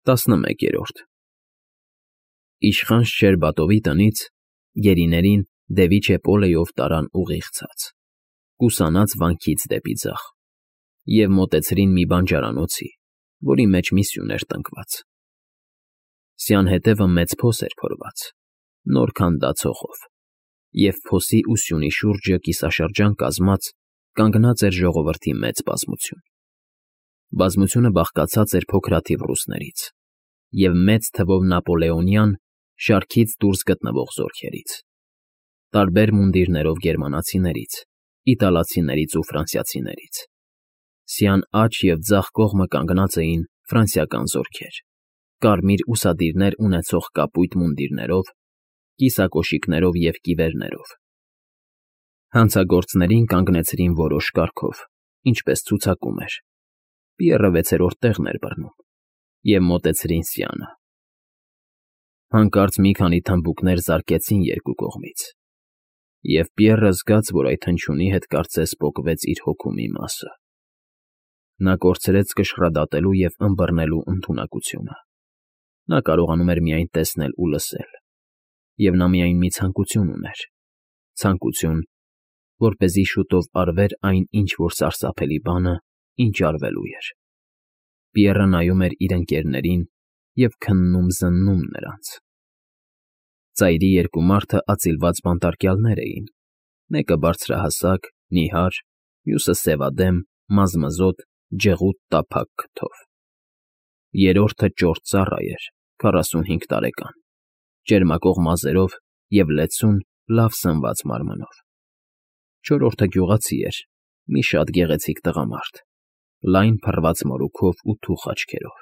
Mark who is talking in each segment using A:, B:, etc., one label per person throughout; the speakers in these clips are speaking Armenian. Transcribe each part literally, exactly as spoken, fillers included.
A: տասնմեկերորդ Իշխան Շչերբատովի տնից գերիներին դևիչե Պոլեյով տարան ուղիղ ցած, կուսանած վանքից դեպի ձախ, և մոտեցրին մի բանջարանոցի, որի մեջ մի սյուն էր տնկված. սյան հետևը մեծ փոս էր փորված, նոր քանդած հողով, և փոսի ու սյունի շուրջը կիսաշրջան կազմած կանգնած էր ժողովրդի մեծ բազմություն. բազմությունը բաղկացած էր փոքրաթիվ ռուսներից և մեծ թվով նապոլեոնյան շարքից դուրս գտնվող զորքերից, տարբեր մունդիրներով գերմանացիներից, իտալացիներից ու ֆրանսիացիներից. սյան աջ և ձախ կողմը կանգնած էին ֆրանսիական զորքեր, կարմիր ուսադիրներ ունեցող կապույտ մունդիրներով, կիսակոշիկներով և կիվերներով. հանցագործներին կանգնեցրին որոշ կարգով, ինչպես ցուցակում էր. Պիեռը վեցերորդ տեղն էր բռնում, և մոտեցրին սյանը. հանկարծ մի քանի թմբուկներ զարկեցին երկու կողմից, և Պիեռը զգաց, որ այդ հնչյունի հետ կարծես պոկվեց իր հոգու մի մասը. նա կորցրեց կշռադատելու և ըմբռնելու ընդունակությունը. նա կարողանում էր միայն տեսնել ու լսել, և նա միայն մի ցանկություն ուներ, ցանկություն, որպեսզի շուտով արվեր այն ինչ֊որ սարսափելի բանը, ինչ արվելու էր. Պիեռը նայում էր իր ընկերներին և քննում֊զննում նրանց. ծայրի երկու մարդը ածիլված բանտարկյալներ էին, մեկը բարձրահասակ, նիհար, մյուսը սևադեմ, մազմզոտ, ջեղուտ տափակ քթով. երրորդը ճորտ ծառա էր, քառասունհինգ տարեկան, ճերմակող մազերով և լեցուն, լավ սնված մարմնով. չորրորդը գյուղացի էր, մի շատ գեղեցիկ տղամարդ, լայն փռված մորուքով ու թուխ աչքերով.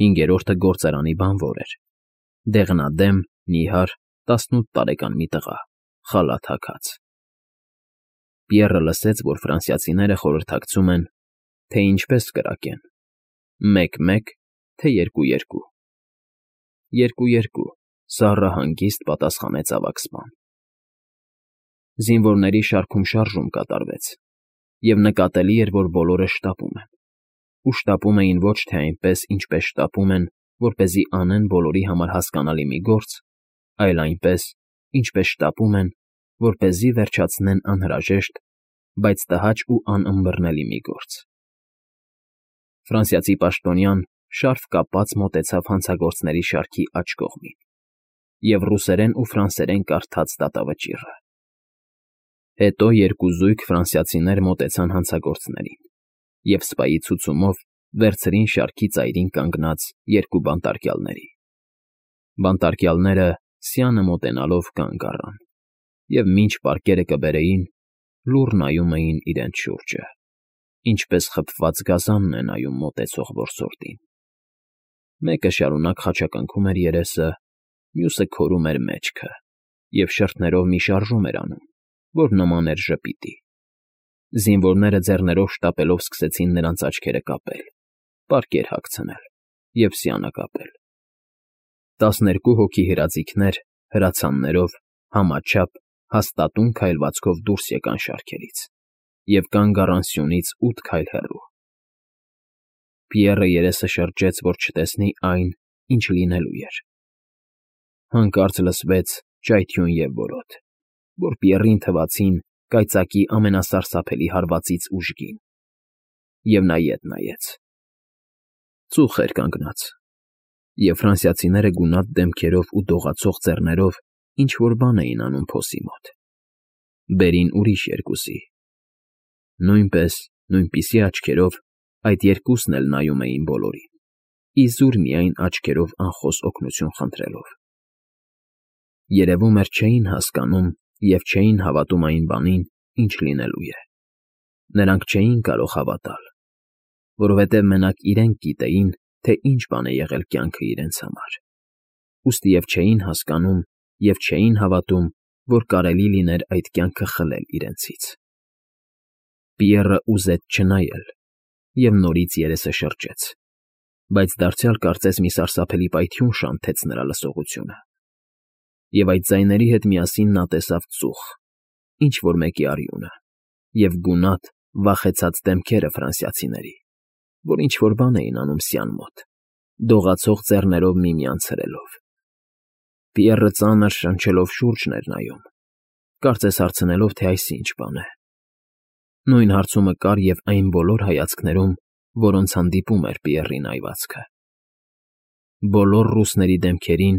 A: հինգերորդը գործարանի բանվոր էր, դեղնադեմ, նիհար, տասնութ տարեկան մի տղա, խալաթ հագած. Պիեռը լսեց, որ ֆրանսիացիները խորհրդակցում են, թե ինչպես կրակեն. մեկ֊մեկ, թե երկու֊երկու։ երկու֊երկու, սառը հանգիստ պատասխանեց ավագ սպան. Զինվորների շարքում շարժում կատարվեց, և նկատելի էր, որ բոլորը շտապում են, ու շտապում էին ոչ թե այնպես, ինչպես շտապում են, որպեսզի անեն բոլորի համար հասկանալի մի գործ, այլ այնպես, ինչպես շտապում են, որպեսզի վերջացնեն անհրաժեշտ, բայց տհաճ ու անըմբռնելի մի գործ. Ֆրանսիացի պաշտոնյան շարֆ կապած մոտեցավ հանցագործների շարքի աջ կողմին և ռուսերեն ու ֆրանսերեն կարդաց դատավճիռը. հետո երկու զույգ ֆրանսիացիներ մոտեցան հանցագործներին և սպայի ցուցումով վերցրին շարքի ծայրին կանգնած երկու բանտարկյալների. բանտարկյալները, սյանը մոտենալով, կանգ առան և մինչ պարկերը կբերեին, լուռ նայում էին իրենց շուրջը, ինչպես խբված գազանն է նայում մոտեցող որսորդին. մեկը շարունակ խաչակնքում էր երեսը, մյուսը քորում էր մեջքը և շրթներով մի շարժում էր անում, որ նման էր ժպիտի. զինվորները ձեռներով շտապելով սկսեցին նրանց աչքերը կապել, պարկեր հագցնել և սյանը կապել. տասներկու հոգի հրաձիգներ հրացաններով, համաչափ, հաստատուն քայլվածքով դուրս եկան շարքերից և կանգ առան սյունից ութ քայլ հեռու. Պիեռը երեսը շրջեց, որ չտեսնի այն, ինչ լինելու էր. հանկարծ լսվեց ճայթյուն և որոտ, որ Պիեռին թվացին կայծակի ամենասարսափելի հարվածից ուժգին, և նա ետ նայեց. ծուխ էր կանգնած, և ֆրանսիացիները գունատ դեմքերով ու դողացող ձեռներով ինչ֊որ բան էին անում փոսի մոտ. բերին ուրիշ երկուսի. նույնպես, նույնպիսի աչքերով այդ երկուսն էլ նայում էին բոլորին, իզուր միայն աչքերով անխոս օգնություն խնդրելով. երևում էր չէին հասկանում և չէին հավատում այն բանին, ինչ լինելու է. նրանք չէին կարող հավատալ, որովհետև մենակ իրենք գիտեին, թե ինչ բան է եղել կյանքը իրենց համար, ուստիև չէին հասկանում և չէին հավատում, որ կարելի լիներ այդ կյանքը խլել իրենցից. Պիեռը ուզեց չնայել և նորից երեսը շրջեց, բայց դարձյալ կարծես մի սարսափելի պայթյուն շանթեց նրա լսողությունը, և այդ ձայների հետ միասին նա տեսավ ծուխ, ինչ֊որ մեկի արյունը և գունատ, վախեցած դեմքերը ֆրանսիացիների, որ ինչ֊որ բան էին անում սյան մոտ դողացող ծեռներով միմյանց հրելով։ Պիեռը ծանր շնչելով շուրջն էր նայում, կարծես հարցնելով, թե այս ինչ բան է։ Նույն հարցումը կար և այն բոլոր հայացքներում, որոնց հանդիպում էր Պիեռին այվածքը։ Բոլոր ռուսների դեմքերին,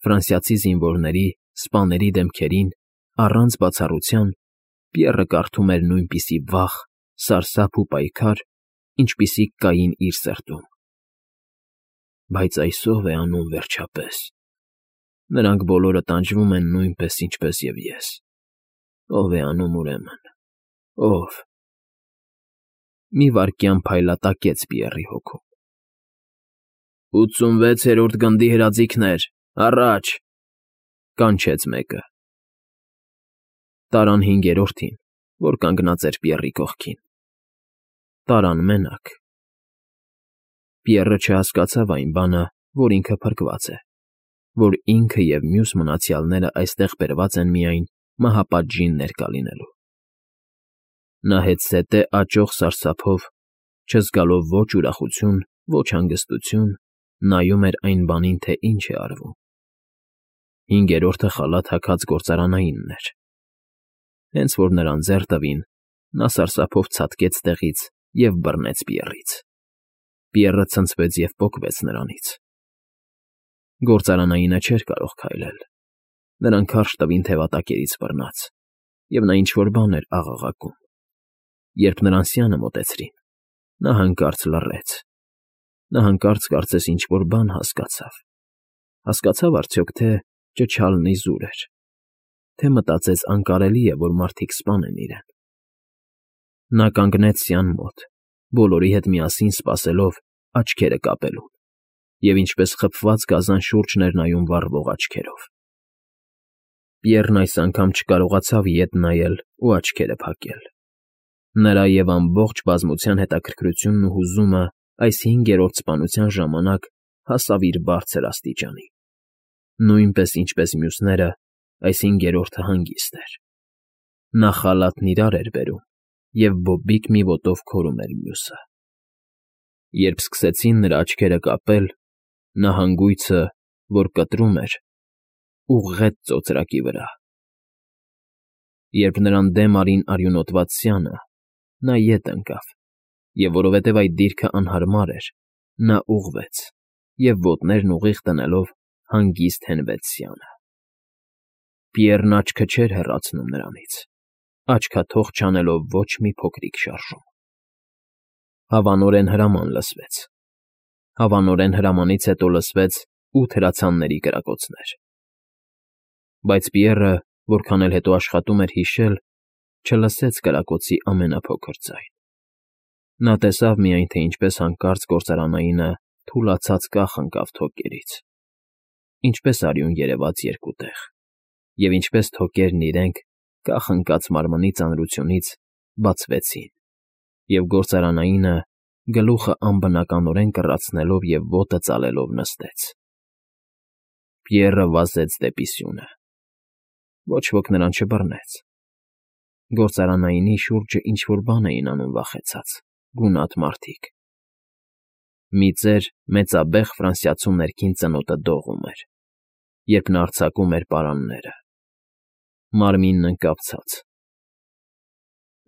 A: ֆրանսիացի զինվորների, սպաների դեմքերին, առանց բացառության, Պիեռը կարդում էր նույնպիսի վախ, սարսափ ու պայքար, ինչպիսիք կային իր սրտում։ Բայց այս ո՞վ է անում վերջապես։ Նրանք բոլորը տանջվում են նույնպես, ինչպես և ես։ Ո՞վ է անում ուրեմն, ո՞վ։ Մի վայրկյան փայլատակեց Պիեռի հոգում։ «Ութսունվեցերորդ գնդի հրաձիգներ, առաջ», կանչեց մեկը։ Տարան հինգերորդին, որ կանգնած էր Պիեռի կողքին։ Տարան մենակ։ Պիեռը չհասկացավ այն բանը, որ ինքը փրկված է, որ ինքը և մյուս մնացյալները այստեղ բերված են միայն մահապատժին ներկա լինելու։ Նա հետզհետե աճող սարսափով, չզգալով ոչ ուրախություն, ոչ հանգստություն, նայում էր այն բանին, թե ինչ է արվում։ Հինգերորդը խալաթ հագած գործարանայինն էր։ Հենց որ նրան ձեռ տվին, նա սարսափով ցատկեց տեղից և բռնեց Պիեռից։ Պիեռը ցնցվեց և պոկվեց նրանից։ Գործարանայինը չէր կարող քայլել։ Նրան քարշ տվին թևատակերից բռնած, և նա ինչ֊որ բան էր աղաղակում։ Երբ նրան սյանը մոտեցրին, նա հանկարծ լռեց։ Նա հանկարծ կարծես ինչ֊որ բան հասկացավ։ Հասկացա՞վ արդյոք, թե ճչալն իզուր էր, թե մտածեց անկարելի է, որ մարդիկ սպանեն իրեն։ Նա կանգնեց սյան մոտ, բոլորի հետ միասին սպասելով, աչքերը կապելուն, և ինչպես խփված գազան շուրջն էր նայում վառվող աչքերով։ Պիեռն այս անգամ չկարողացավ ետ նայել ու աչքերը փակել։ Նրա և ամբողջ բազմության հետաքրքրությունն ու հուզումը այս հինգերորդ սպանության ժամանակ հասավ իր բարձր աստիճանի։ Նույնպես, ինչպես մյուսները, այս հինգերորդը հանգիստ էր։ Նա խալաթն իրար էր բերում և բոբիկ մի ոտով քորում էր մյուսը։ Երբ սկսեցին նրա աչքերը կապել, նա հանգույցը, որ կտրում էր, ուղղեց ծոծրակի վրա։ Երբ նրան դեմ արին արյունոտված սյանը, նա ետ ընկավ, և որովհետև այդ դիրքը անհարմար էր, նա ուղղվեց և ոտներն ուղիղ դնելով հանգիստ հենվեց սյանը։ Պիեռն աչքը չէր հեռացնում նրանից, աչքաթող չանելով ոչ մի փոքրիկ շարժում։ Հավանորեն հրաման լսվեց։ Հավանորեն հրամանից հետո լսվեց ութ հրացանների կրակոցներ։ Բայց Պիեռը, որքան էլ հետո աշխատում էր հիշել, չլսեց կրակոցի ամենափոքր ձայն։ Նա տեսավ միայն, թե ինչպես հանկարծ գործարանայինը թուլացած կախ ընկավ թոկերից, ինչպես արյուն երևաց երկու տեղ, և ինչպես թոկերն իրենք, կախ ընկած մարմնի ծանրությունից, բացվեցին, և գործարանայինը, գլուխը անբնականորեն կռացնելով և ոտը ծալելով նստեց։ Պիեռը վազեց դեպի սյունը։ Ոչ ոք նրան չբռնեց։ Գործարանայինի շուրջը ինչ֊որ բան էին անում վախեցած, գունատ մարդիկ։ Մի ծեր մեծաբեղ ֆրանսիացու ներքին ծնոտը դողում էր, երբ նա արձակում էր պարանները։ Մարմինն ընկավ ցած։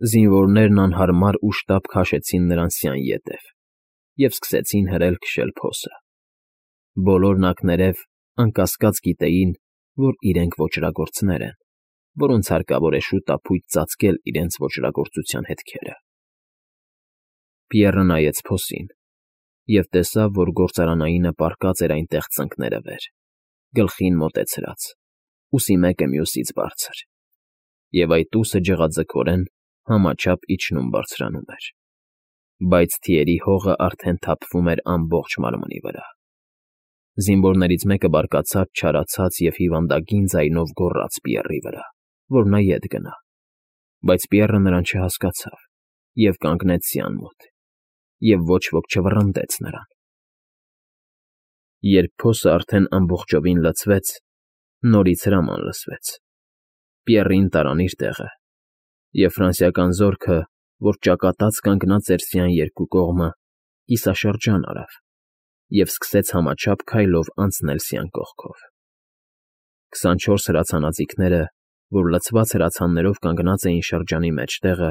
A: Զինվորներն անհարմար ուշտապ քաշեցին նրան սյան ետև և սկսեցին հրել֊քշել փոսը։ Բոլորն ակներև, անկասկած գիտեին, որ իրենք ոճրագործներ են, որոնց հարկավոր է շուտափույթ ծածկել իրենց ոճրագործության հետքերը։ Պիեռը նայեց փոսին և տեսավ, որ գործարանայինը պառկած էր այնտեղ ծնկները վեր, գլխին մոտեցրած, ուսի մեկը մյուսից բարձր, և այդ ուսը ջղաձգորեն համաչափ իջնում֊բարձրանում էր, բայց թիերի հողը արդեն թափվում էր ամբողջ մարմնի վրա։ Զինվորներից մեկը բարկացած, չարացած և հիվանդագին ձայնով գոռաց Պիեռի վրա, որ նա ետ գնա, բայց Պիեռը նրան չհասկացավ և կանգնեց սյան մոտ, և ոչ ոք չվռնդեց նրան։ Երբ փոսը արդեն ամբողջովին լցվեց, նորից հրաման լսվեց. Պիեռին տարան իր տեղը, և ֆրանսիական զորքը, որ ճակատած կանգնած էր սյան երկու կողմը, կիսաշրջան արավ, և սկսեց համաչափ քայլով անցնել սյան կողքով։ Քսանչորս հրացանաձիգները, որ լցված հրացաններով կանգնած էին շրջանի մեջտեղը,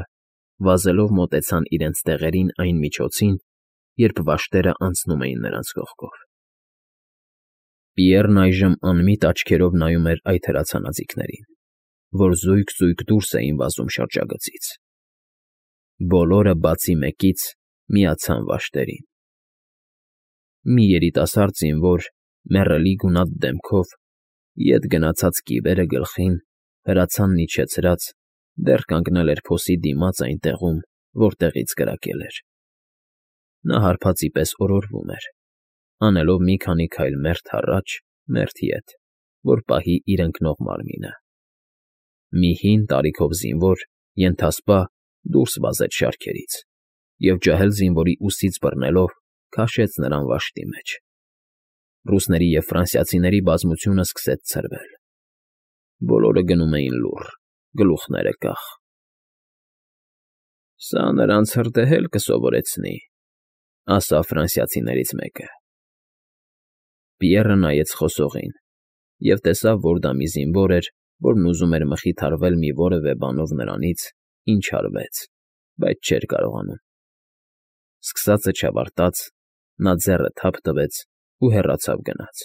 A: վազելով մոտեցան իրենց տեղերին այն միջոցին, երբ վաշտերն անցնում էին նրանց կողքով։ Պիեռն այժմ անմիտ աչքերով նայում էր այդ հրացանաձիգներին, որ զույգ֊զույգ դուրս էին վազում շրջագծից։ Բոլորը, բացի մեկից, միացան վաշտերին։ Մի երիտասարդ զինվոր, մեռելի գունատ դեմքով, ետ գնացած կիվերը գլխին, հրացանն իջեցրած, դեռ կանգնել էր փոսի դիմաց այն տեղում, որտեղից կրակել էր։ Նա հարբածի պես օրորվում էր, անելով մի քանի քայլ մերթ առաջ, մերթ ետ, որ պահի իր ընկնող մարմինը։ Մի հին տարիքով զինվոր, ենթասպա, դուրս վազեց շարքերից և, ջահել զինվորի ուսից բռնելով, քաշեց նրան վաշտի մեջ։ Ռուսների և ֆրանսիացիների բազմությունը սկսեց ցրվել։ Բոլորը գնում էին լուռ, գլուխները կախ։ ֊ Սա նրանց հրդեհել կսովորեցնի,֊ ասաց ֆրանսիացիներից մեկը։ Պիեռը նայեց խոսողին և տեսավ, որ դա մի զինվոր էր, որն ուզում էր մխիթարվել մի որևէ բանով նրանից, ինչ արվեց, բայց չէր կարողանում։ Սկսածը չավարտած՝ նա ձեռը թափ տվեց ու հեռացավ գնաց։